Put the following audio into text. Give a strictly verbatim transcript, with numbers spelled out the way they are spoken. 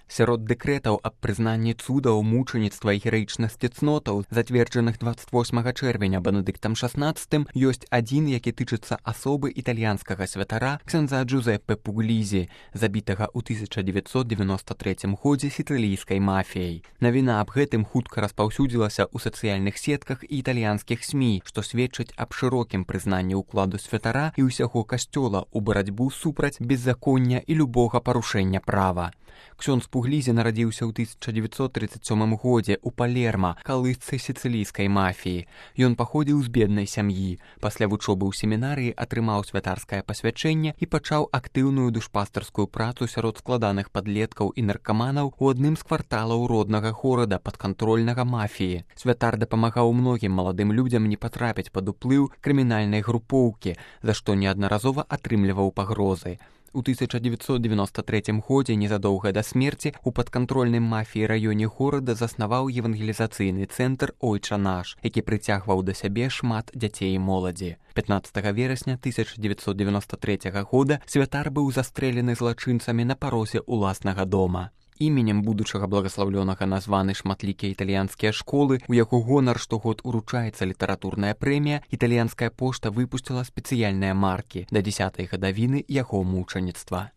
Сярод дэкрэтаў аб прызнанні цудаў, мучаніцтва і гераічнасці цнотаў, зацверджаных дваццаць восьмага чэрвеня Бенедыктам шаснаццатым, ёсць адзін, які тычыцца асобы італьянскага святара ксяндза Джузеппе Пуглізі, забітага ў тысяча дзевяцьсот дзевяноста трэцім годзе сіцылійскай мафіяй. Навіна аб гэтым хутка распаўсюдзілася ў сацыяльных сетках і італьянскіх СМІ, што сведчыць аб шырокім прызнанні ўкладу святара і ўсяго касцёла ў барацьбу супраць беззаконня і любога парушэння права. Ксёндз Пуглізі нарадзіўся ў тысяча дзевяцьсот трыццаць сёмым годзе ў Палерма, калысцы сіцылійскай мафіі. Ён паходзіў з беднай сям'і. Пасля вучобы ў семінарыі атрымаў святарскае пасвячэнне і пачаў актыўную душпастарскую працу сярод складаных падлеткаў і наркаманаў у адным з кварталаў роднага горада падкантрольнага мафіі. Святар дапамагаў многім маладым людзям не патрапіць пад уплыў крымінальнай групоўкі, за што неаднаразова атрымліваў пагрозы. У тысяча дзевяцьсот дзевяноста трэцім годзе, незадоўга да смерці, у падкантрольным мафіі раёне горада заснаваў евангелізацыйны цэнтр «Ойча наш», які прыцягваў да сябе шмат дзяцей і моладзі. пятнаццатага верасня тысяча дзевяцьсот дзевяноста трэцяга года святар быў застрэлены злачынцамі на парозе ўласнага дома. Іменем будучага благаслаўлёнага названы шматлікія італьянскія школы, у яго гонар штогод уручаецца літаратурная прэмія, італьянская пошта выпусціла спецыяльныя маркі да дзясятай гадавіны яго мучаніцтва.